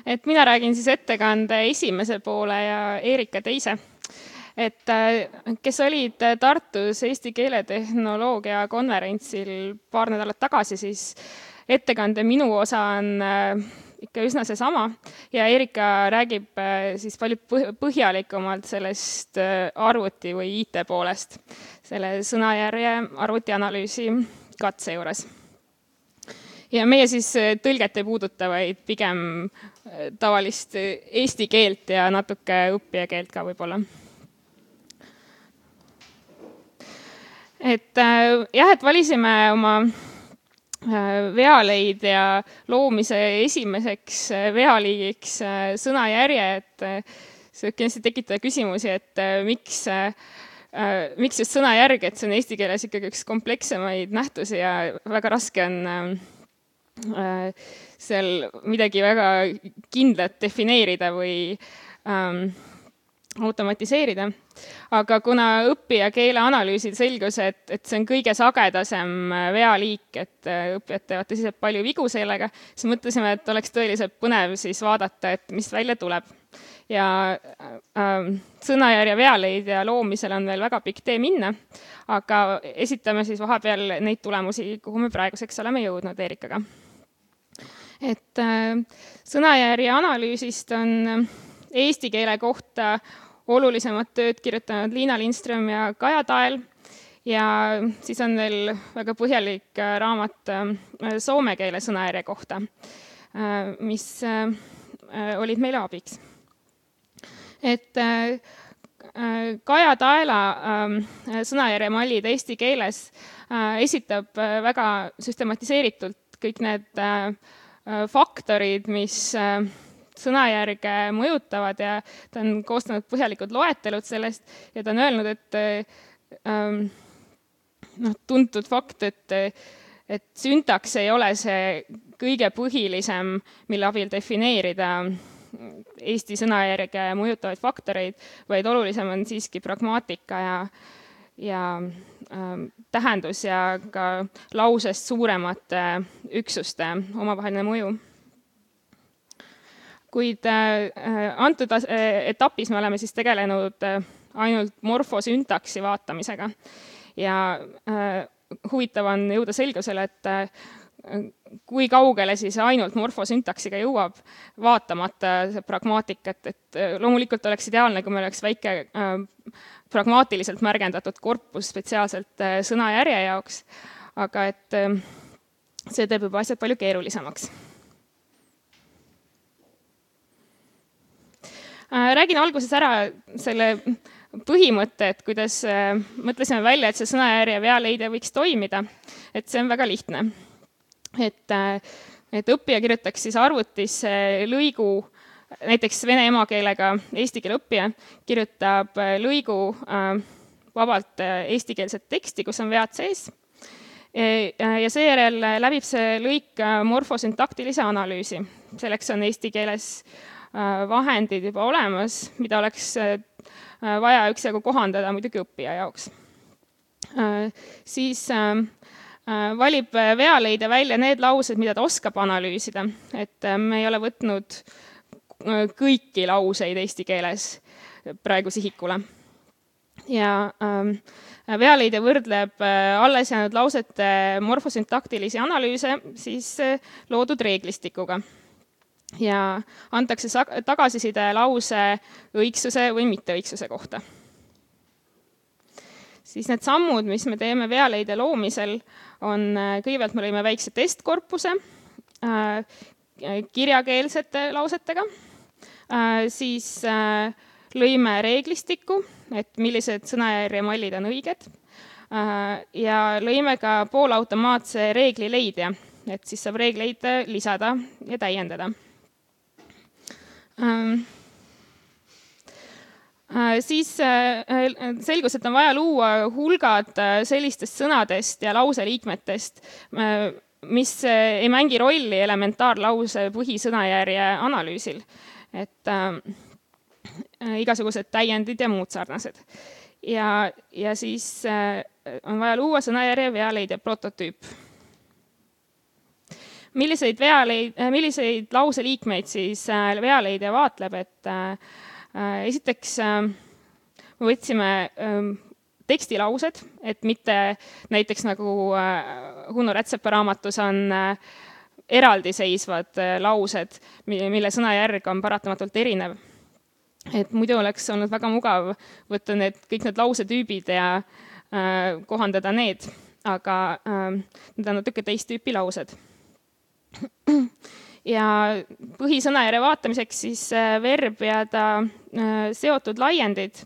Et mina räägin siis ettekande esimese poole ja Eerika teise. Et kes olid Tartus Eesti keeletehnoloogia konverentsil paar nädalat tagasi, siis ettekande minu osa on ikka üsna seesama ja Eerika räägib siis palju põhjalikumalt sellest arvuti või IT poolest, selle sõnajärje arvutianalüüsi katse juures. Ja meie siis tõlget ei puuduta, vaid pigem tavalist eesti keelt ja natuke õppija keelt ka võib-olla. Et valisime oma vealeid ja loomise esimeseks vealiigiks sõnajärje, et see kindlasti tekitada küsimusi, et miks just sõnajärg, et see on eesti keeles ikkagi üks komplekssemaid nähtusi ja väga raske on seal midagi väga kindlat defineerida või automatiseerida. Aga kuna õppija keeleanalüüsil selgus, et see on kõige sagedasem vealiik, et õppijad teevad tõsiselt palju vigu sellega, siis mõtlesime, et oleks tõeliselt põnev siis vaadata, et mis välja tuleb. Ja sõnajärje vealeid ja loomisel on veel väga pikk tee minna, aga esitame siis vahepeal neid tulemusi, kuhu me praeguseks oleme jõudnud Eerikaga. Et sõnajärje analüüsist on eesti keele kohta olulisemad tööd kirjutanud Liina Lindström ja Kaja Tael ja siis on veel väga põhjalik raamat soome keele sõnajärje kohta, mis olid meile abiks. Et Kaja Taela sõnajärje mallid eesti keeles esitab väga süstematiseeritult kõik need faktorid, mis sõnajärge mõjutavad ja ta on koostanud põhjalikud loetelud sellest ja ta on öelnud, et tuntud fakt, et süntaks ei ole see kõige põhilisem, mille abil defineerida eesti sõnajärge mõjutavaid faktoreid, vaid olulisem on siiski pragmaatika ja tähendus ja ka lausest suuremate üksuste omavaheline mõju. Kuid antud etapis me oleme siis tegelenud ainult morfosüntaksi vaatamisega ja huvitav on jõuda selgusele, et kui kaugele siis ainult morfosüntaksiga jõuab vaatamata pragmaatikat, et loomulikult oleks ideaalne, kui meil oleks väike pragmaatiliselt märgendatud korpus spetsiaalselt sõnajärje jaoks, aga et see teeb juba asjad palju keerulisemaks. Räägin alguses ära selle põhimõtte, et kuidas mõtlesime välja, et see sõnajärje vealeide võiks toimida, et see on väga lihtne. Et õppija kirjutaks siis arvutisse lõigu, näiteks vene emakeelega eesti keele õppija kirjutab lõigu vabalt eestikeelset teksti, kus on vead sees ja seejärel läbib see lõik morfosüntaktilise analüüsi. Selleks on eesti keeles vahendid juba olemas, mida oleks vaja üksjagu kohandada muidugi õppija jaoks. Siis valib vealeide välja need laused, mida ta oskab analüüsida, et me ei ole võtnud kõiki lauseid eesti keeles praegu sihikule. Ja vealeide võrdleb alles jäänud lausete morfosüntaktilisi analüüse siis loodud reeglistikuga. Ja antakse tagasiside lause õigsuse või mitteõigsuse kohta. Siis need sammud, mis me teeme vealeide loomisel, on kõigepealt me lõime väikse testkorpuse kirjakeelsete lausetega, siis lõime reeglistiku, et millised sõnajärje mallid on õiged ja lõime ka poolautomaatse reeglileidja, et siis saab reegleid lisada ja täiendada. Siis selgus, et on vaja luua hulgad sellistest sõnadest ja lauseliikmetest, mis ei mängi rolli elementaarlause põhisõnajärje analüüsil. Et igasugused täiendid ja muud sarnased. Ja siis on vaja luua sõnajärje vealeide prototüüp. milliseid lauseliikmeid siis vealeidja vaatleb, et esiteks me võtsime tekstilaused, et mitte näiteks nagu Huno Rätsepa raamatus on eraldiseisvad laused, mille sõnajärg on paratamatult erinev. Et muidu oleks olnud väga mugav võtta kõik need lausetüübid ja kohandada need, aga need on natuke teist tüüpi laused. Ja põhisõnajärje vaatamiseks siis verb ja ta seotud laiendid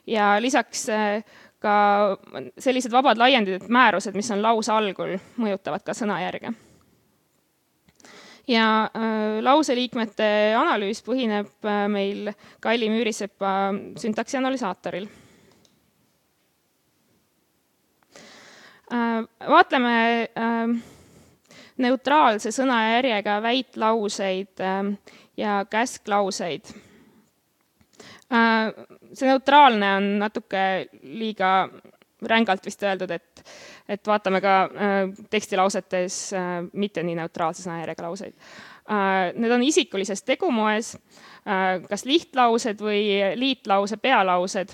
ja lisaks ka sellised vabad laiendid, et määrused, mis on lause algul, mõjutavad ka sõnajärge. Ja lauseliikmete analüüs põhineb meil Kalli Müürisepa syntaksi analüsaatoril. Vaatleme neutraalse sõnajärjega väitlauseid ja käsklauseid. See neutraalne on natuke liiga rängalt vist öeldud, et vaatame ka tekstilausetes mitte nii neutraalse sõnajärjega lauseid. Need on isikulises tegumoes, kas lihtlaused või liitlause pealaused,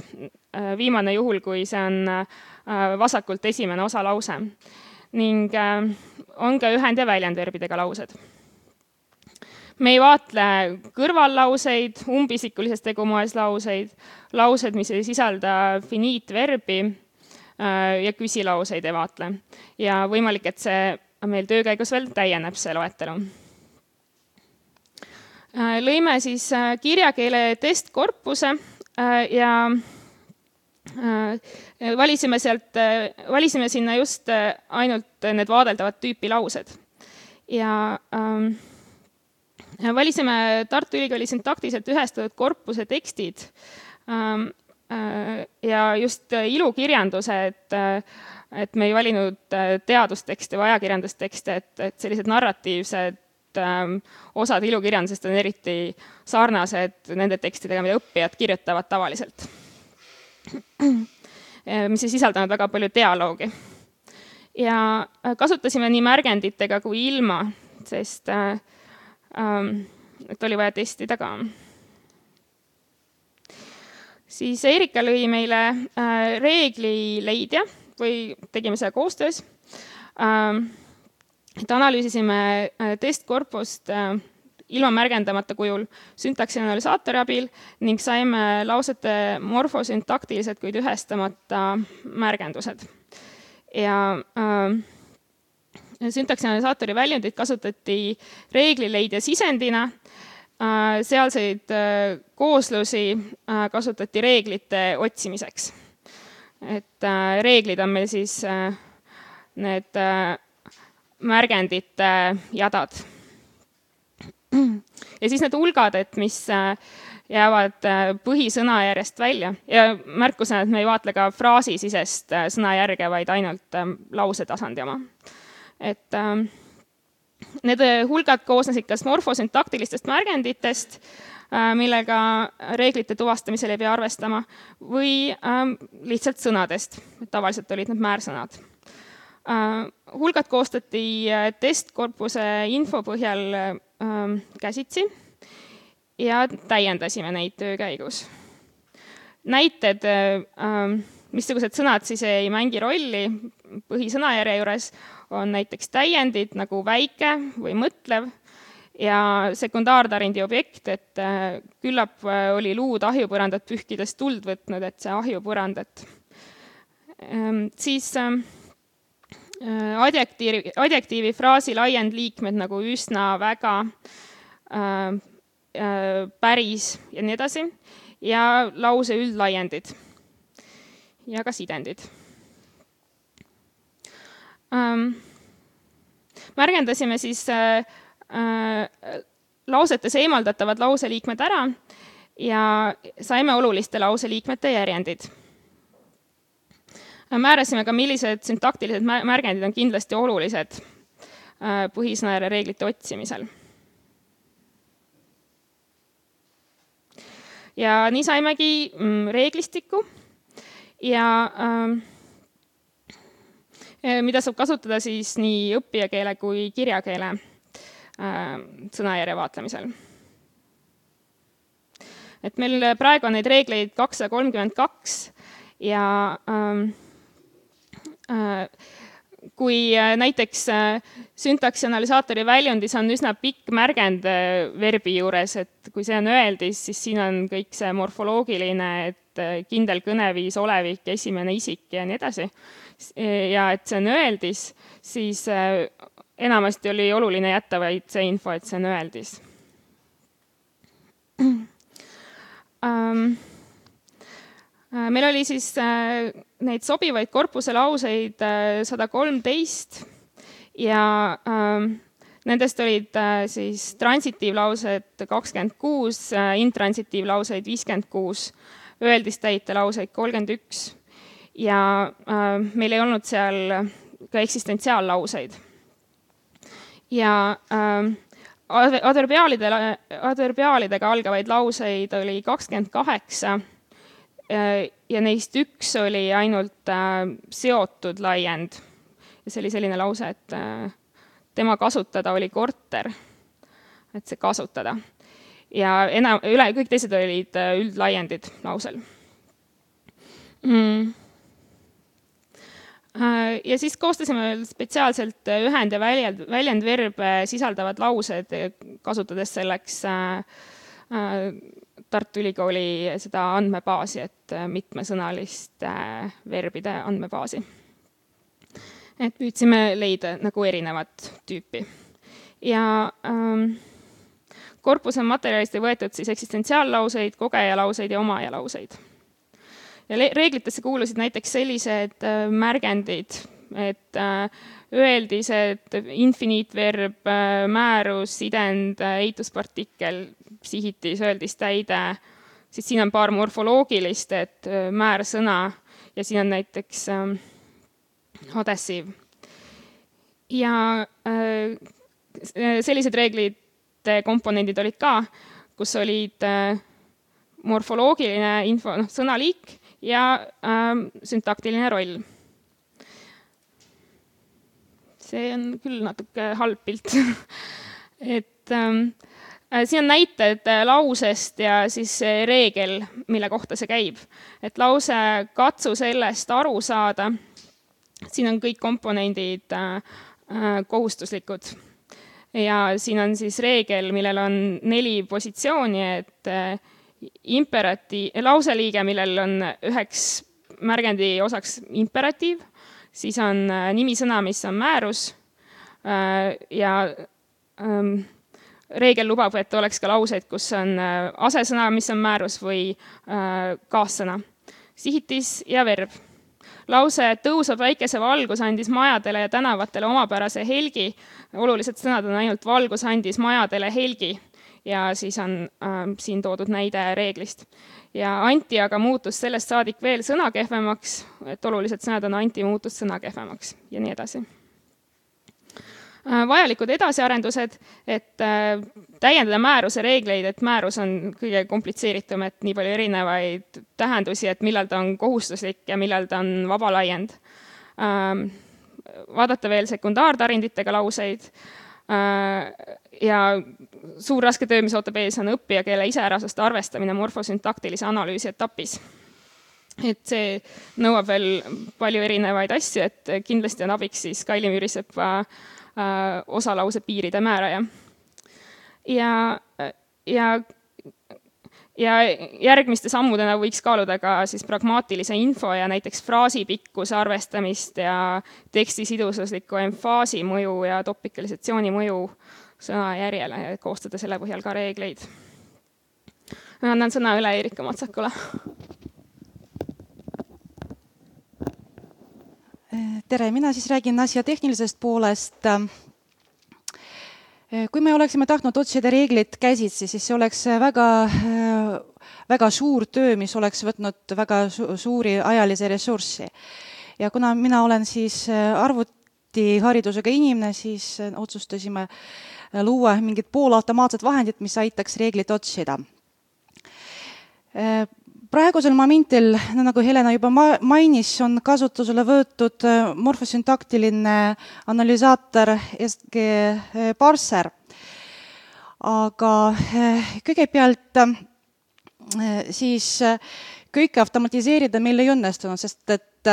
viimane juhul, kui see on vasakult esimene osalause. Ning on ka ühend- ja väljendverbidega laused. Me ei vaatle kõrvallauseid, umbisikulises tegumoes laused, mis ei sisalda finiitverbi ja küsilauseid ei vaatle. Ja võimalik, et see meil töö käigus veel täieneb see loetelu. Lõime siis kirjakeele testkorpuse ja valisime sinna just ainult need vaadeldavad tüüpi laused. Ja valisime Tartu Ülikooli syntaktiliselt ühestatud korpuse tekstid ja just ilukirjanduse, et me ei valinud teadustekste või ajakirjandustekste, et sellised narratiivsed osad ilukirjandusest on eriti sarnased nende tekstidega, mida õppijad kirjutavad tavaliselt, mis ei sisaldanud väga palju dialoogi. Ja kasutasime nii märgenditega kui ilma, sest et oli vaja testida ka. Siis Eerika lõi meile reeglileidja või tegime seda koostöös. Et analüüsisime testkorpust ilma märgendamata kujul syntaksi analüsaatori abil ning saime lausete morfosüntaktilised, kuid ühestamata märgendused. Ja syntaksi analüsaatori väljundid kasutati reeglileidja sisendina, sealseid kooslusi kasutati reeglite otsimiseks. Et reeglid on meil siis need märgendite jadad. Ja siis need hulgad, et mis jäävad põhisõnajärjest välja. Ja märkusena, et me ei vaatle ka fraasisisest sõnajärge, vaid ainult lausetasandi oma. Et need hulgad koosnesid kas morfosüntaktilistest märgenditest, millega reeglite tuvastamisel ei pea arvestama, või lihtsalt sõnadest. Tavaliselt olid need määrsõnad. Hulgad koostati testkorpuse info põhjal käsitsi ja täiendasime neid töö käigus. Näited, missugused sõnad siis ei mängi rolli põhisõnajärje juures, on näiteks täiendid nagu väike või mõtlev ja sekundaartarindi objekt, et küllap oli luud ahjupõrandat pühkides tuld võtnud, et see ahjupõrandat. Siis adjektiivi fraasi laiendliikmed nagu üsna, väga, päris ja nii edasi ja lause üldlaiendid ja ka sidendid. Märgendasime siis lausetes eemaldatavad lauseliikmed ära ja saime oluliste lauseliikmete järjendid. Määrasime ka, millised syntaktilised märgendid on kindlasti olulised põhisõnajärje reeglite otsimisel. Ja nii saimegi reeglistiku ja mida saab kasutada siis nii õppijakeele kui kirjakeele sõnajärje vaatlemisel. Et meil praegu on neid reegleid 232 ja kui näiteks syntaksi analüsaatori väljundis on üsna pikk märgend verbi juures, et kui see on öeldis, siis siin on kõik see morfoloogiline, et kindel kõneviis, olevik, esimene isik ja nii edasi. Ja et see on öeldis, siis enamasti oli oluline jätta vaid see info, et see on öeldis. Meil oli siis neid sobivaid korpuse lauseid 113 ja nendest olid siis transitiivlaused 26, intransitiivlauseid 56, öeldistäite lauseid 31 ja meil ei olnud seal ka eksistentsiaallauseid. Ja adverbiaalidega algavaid lauseid oli 28 ja neist üks oli ainult seotud laiend. Ja see oli selline lause, et tema kasutada oli korter, et see kasutada. Ja kõik teised olid üldlaiendid lausel. Ja siis koostasime spetsiaalselt ühend- ja väljendverbe sisaldavad laused, kasutades selleks Tartu Ülikooli seda andmebaasi, et mitmesõnaliste verbide andmebaasi. Et püüdsime leida nagu erinevat tüüpi. Ja korpuse materjalist ei võetud siis eksistentsiaallauseid, kogejalauseid ja omajalauseid. Ja reeglitesse kuulusid näiteks sellised märgendid, et öeldised, infiniitverb, määrus, sidend, eituspartikkel, sihitis, öeldistäide, siis siin on paar morfoloogilist, et määrsõna ja siin on näiteks adhesiiv. Ja sellised reeglite komponendid olid ka, kus olid morfoloogiline info, sõnaliik ja syntaktiline roll. See on küll natuke halb pilt. Et siin on näited lausest ja siis reegel, mille kohta see käib. Et lause katsu sellest aru saada, siin on kõik komponendid kohustuslikud. Ja siin on siis reegel, millel on 4 positsiooni, et lauseliige, millel on üheks märgendi osaks imperatiiv, siis on nimisõna, mis on määrus ja reegel lubab, et oleks ka lauseid, kus on asesõna, mis on määrus või kaassõna. Sihitis ja verb. Lause tõusvad väikese valgus andis majadele ja tänavatele omapärase helgi. Olulised sõnad on ainult valgus andis majadele helgi ja siis on siin toodud näide reeglist. Ja anti aga muutus sellest saadik veel sõna kehvemaks, et olulised sõnad on anti muutus sõna kehvemaks ja nii edasi. Vajalikud edasiarendused, et täiendada määruse reegleid, et määrus on kõige komplitseeritum, et nii palju erinevaid tähendusi, et millal ta on kohustuslik ja millal ta on vaba laiend. Vaadata veel sekundaartarinditega lauseid ja suur raske töö, mis ootab ees, on õppijakeele iseärasuste arvestamine morfosüntaktilise analüüsi etapis. Et see nõuab veel palju erinevaid asju, et kindlasti on abiks siis Kaili Müürisepa osalause piiride määraja. Ja järgmiste sammudena võiks kaaluda ka siis pragmaatilise info ja näiteks fraasi pikkuse arvestamist ja teksti sidususliku emfaasi mõju ja topikalisatsiooni mõju sõnajärjele ja koostada selle põhjal ka reegleid. Annan sõna üle Eerika Matsakule. Tere, mina siis räägin asja tehnilisest poolest. Kui me oleksime tahtnud otsida reeglid käsitsi, siis see oleks väga suur töö, mis oleks võtnud väga suuri ajalise ressurssi. Ja kuna mina olen siis arvutiharidusega inimene, siis otsustasime luua mingid poolautomaatsed vahendid, mis aitaks reeglit otsida. Praegusel momentil, nagu Helena juba mainis, on kasutusele võetud morfosüntaktiline analüsaator SG Parser. aga kõigepealt siis kõike automatiseerida meil ei õnnestunud, sest et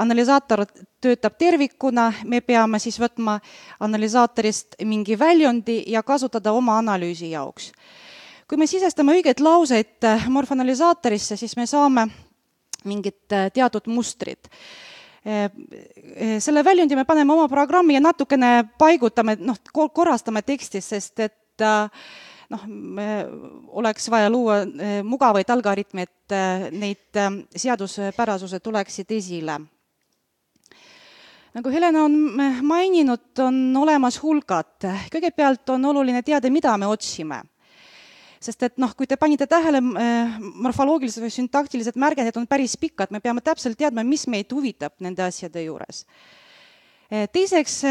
analüsaator töötab tervikuna, me peame siis võtma analüsaatorist mingi väljundi ja kasutada oma analüüsi jaoks. Kui me sisestame õigeid lauseid morfanalüsaatorisse, siis me saame mingid teatud mustrid. Selle väljundi me paneme oma programmi ja natukene paigutame, korrastame tekstis, sest et oleks vaja luua mugavaid algoritme, et neid seaduspärasused tuleksid esile. Nagu Helena on maininud, on olemas hulgad. Kõigepealt on oluline teada, mida me otsime. Sest et kui te panite tähele, morfoloogilised või syntaktilised märgendid on päris pikad, me peame täpselt teadma, mis meid huvitab nende asjade juures. Teiseks,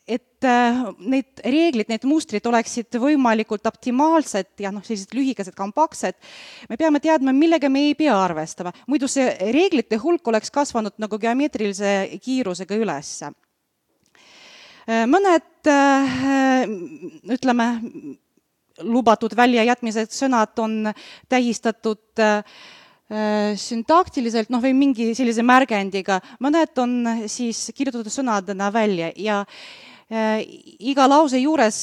et need reeglid, need mustrid oleksid võimalikult optimaalsed ja sellised lühikesed, kompaktsed, me peame teadma, millega me ei pea arvestama. Muidu see reeglite hulk oleks kasvanud nagu geomeetrilise kiirusega üles. Mõned, ütleme, lubatud väljajätmised sõnad on tähistatud syntaktiliselt või mingi sellise märgendiga. Mõned on siis kirjutatud sõnadena välja ja iga lause juures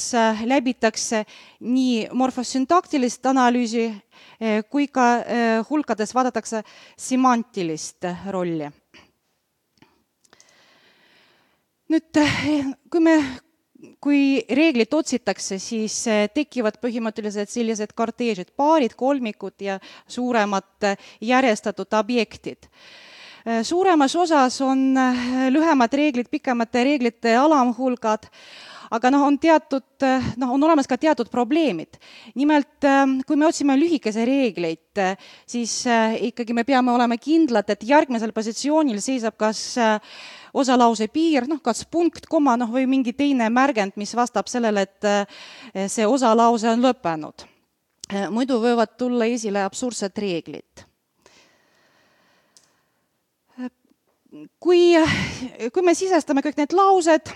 läbitakse nii morfosüntaktilist analüüsi kui ka hulkades vaadatakse semantilist rolli. Nüüd, kui reeglid otsitakse, siis tekivad põhimõtteliselt sellised korteežid, paarid, kolmikud ja suuremad järjestatud objektid. Suuremas osas on lühemad reeglid, pikemate reeglite alamhulgad, aga on olemas ka teatud probleemid. Nimelt, kui me otsime lühikese reegleid, siis ikkagi me peame olema kindlad, et järgmisel positsioonil seisab kas osalause piir, kas punkt, koma või mingi teine märgend, mis vastab sellele, et see osalause on lõppenud. Muidu võivad tulla esile absurdsed reeglid. Kui me sisestame kõik need laused,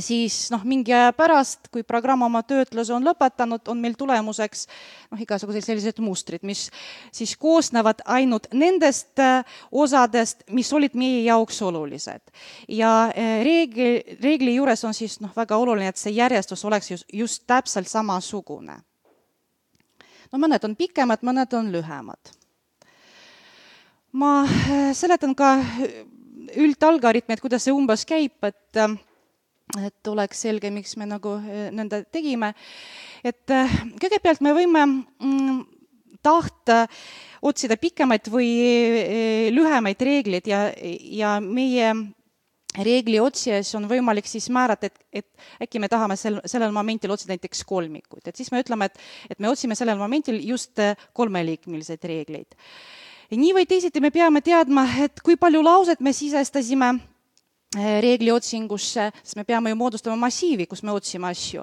siis mingi aja pärast, kui programm oma töötluse on lõpetanud, on meil tulemuseks igasugused sellised mustrid, mis siis koosnevad ainult nendest osadest, mis olid meie jaoks olulised. Ja reegli juures on siis väga oluline, et see järjestus oleks just täpselt samasugune. Mõned on pikemad, mõned on lühemad. Ma seletan ka üldalgoritmi, et kuidas see umbes käib, et oleks selge, miks me nõnda tegime. Et kõigepealt me võime tahta otsida pikemaid või lühemaid reegleid ja meie reegli otsijas on võimalik siis määrata, et äkki me tahame sellel momentil otsida näiteks kolmikut. Et siis me ütleme, et me otsime sellel momentil just kolmeliikmelised reegleid. Nii või teisiti me peame teadma, et kui palju lauset me sisestasime reegli otsingusse, sest me peame ju moodustama massiivi, kus me otsime asju.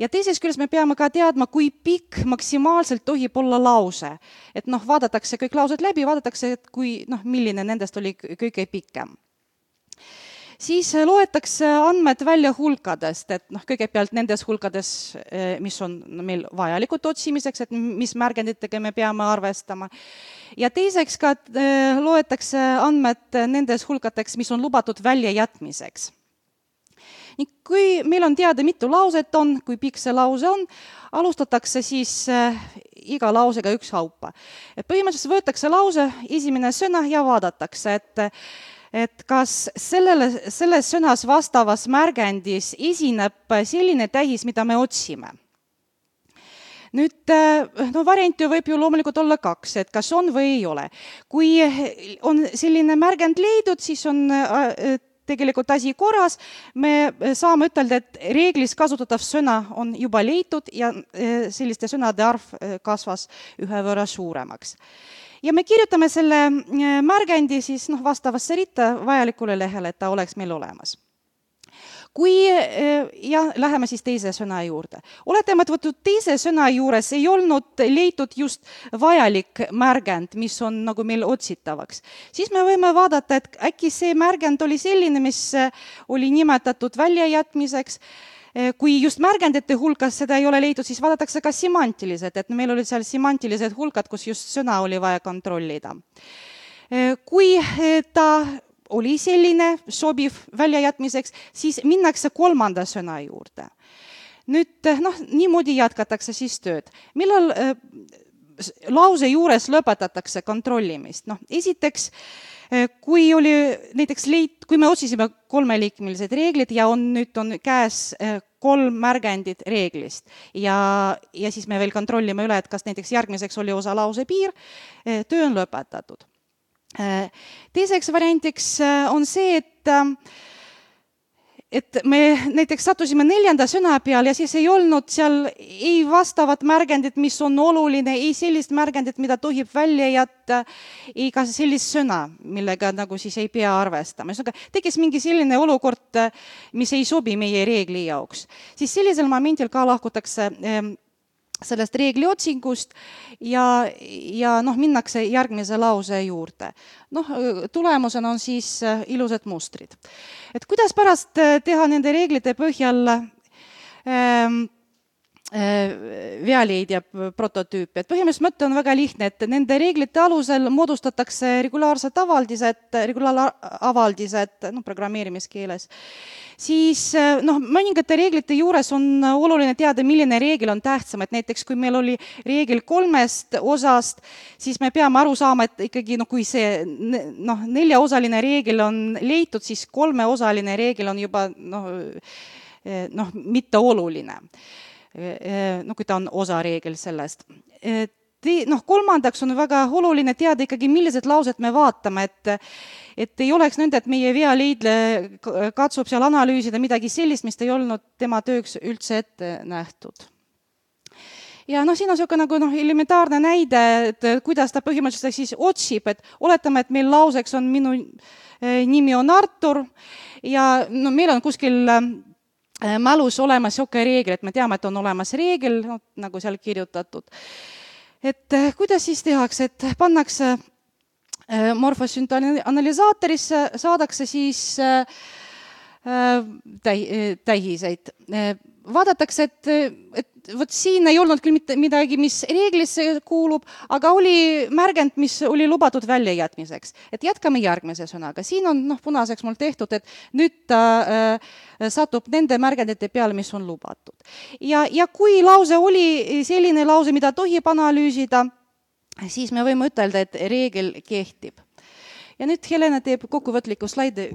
Ja teiseks küljest me peame ka teadma, kui pikk maksimaalselt tohib olla lause. Et vaadatakse kõik laused läbi, vaadatakse, et milline nendest oli kõige pikem. Siis loetakse andmed välja hulkadest, et kõigepealt nendes hulkades, mis on meil vajalikud otsimiseks, et mis märgenditega me peame arvestama. Ja teiseks ka loetakse andmed nendes hulkadeks, mis on lubatud väljajätmiseks. Kui meil on teada, mitu lauset on, kui pikk see lause on, alustatakse siis iga lausega ükshaupa. Põhimõtteliselt võetakse lause, esimene sõna ja vaadatakse, et kas selles sõnas vastavas märgendis esineb selline tähis, mida me otsime. Nüüd, variante võib ju loomulikult olla kaks, et kas on või ei ole. Kui on selline märgend leidud, siis on tegelikult asi korras. Me saame ütelda, et reeglis kasutatav sõna on juba leitud ja selliste sõnade arv kasvas ühe võrra suuremaks. Ja me kirjutame selle märgendi siis vastavasse ritta vajalikule lehele, et ta oleks meil olemas. Läheme siis teise sõna juurde. Oletame, et võtud teise sõna juures ei olnud leitud just vajalik märgend, mis on meil otsitavaks. Siis me võime vaadata, et äkki see märgend oli selline, mis oli nimetatud väljajätmiseks. kui just märgendite hulkas seda ei ole leitud, siis vaadatakse ka semantilised, et meil olid seal semantilised hulkad, kus just sõna oli vaja kontrollida. Kui ta oli selline sobiv väljajätmiseks, siis minnakse kolmanda sõna juurde. Nüüd, niimoodi jätkatakse siis tööd. Millal lause juures lõpetatakse kontrollimist? Esiteks, kui oli näiteks kui me otsisime kolmeliikmelised reeglid ja nüüd on käes 3 märgendit reeglist ja siis me veel kontrollime üle, et kas näiteks järgmiseks oli osa lause piir, töö on lõpetatud. Teiseks variantiks on see, et me näiteks sattusime 4. sõna peal ja siis ei olnud seal ei vastavat märgendit, mis on oluline, ei sellist märgendit, mida tohib välja jätta, ei ka sellist sõna, millega nagu siis ei pea arvestama. Tekkis mingi selline olukord, mis ei sobi meie reegli jaoks. Siis sellisel momendil ka lahkutakse sellest reegli otsingust ja minnakse järgmise lause juurde. Tulemusena on siis ilusad mustrid. Et kuidas pärast teha nende reeglite põhjal vealeidja prototüüp. Et põhimõtteliselt mõte on väga lihtne, et nende reeglite alusel moodustatakse regulaarsed avaldised programmeerimiskeeles. Siis mõningate reeglite juures on oluline teada, milline reegel on tähtsam, et näiteks kui meil oli reegel 3 osast, siis me peame aru saama, et ikkagi kui see 4-osaline reegel on leitud, siis 3-osaline reegel on juba mitte oluline. Kui ta on osareegel sellest. Kolmandaks on väga oluline teada ikkagi, millised laused me vaatame, et ei oleks nõnda, et meie vealeidle katsub seal analüüsida midagi sellist, mis ei olnud tema tööks üldse ette nähtud. Ja siin on selline elementaarne näide, et kuidas ta põhimõtteliselt siis otsib, et oletame, et meil lauseks on minu nimi on Artur ja meil on kuskil mälus olemas selline reegel, et me teame, et on olemas reegel, nagu seal kirjutatud. Et kuidas siis tehakse, et pannakse morfosüntanalüsaatorisse, saadakse siis tähiseid. Vaadatakse, et vot siin ei olnud küll mitte midagi, mis reeglisse kuulub, aga oli märgend, mis oli lubatud väljajätmiseks. Et jätkame järgmise sõnaga. Siin on punaseks mul tehtud, et nüüd ta satub nende märgendite peale, mis on lubatud. Ja kui lause oli selline lause, mida tohib analüüsida, siis me võime ütelda, et reegel kehtib. Ja nüüd Helena teeb kokkuvõtliku slaidi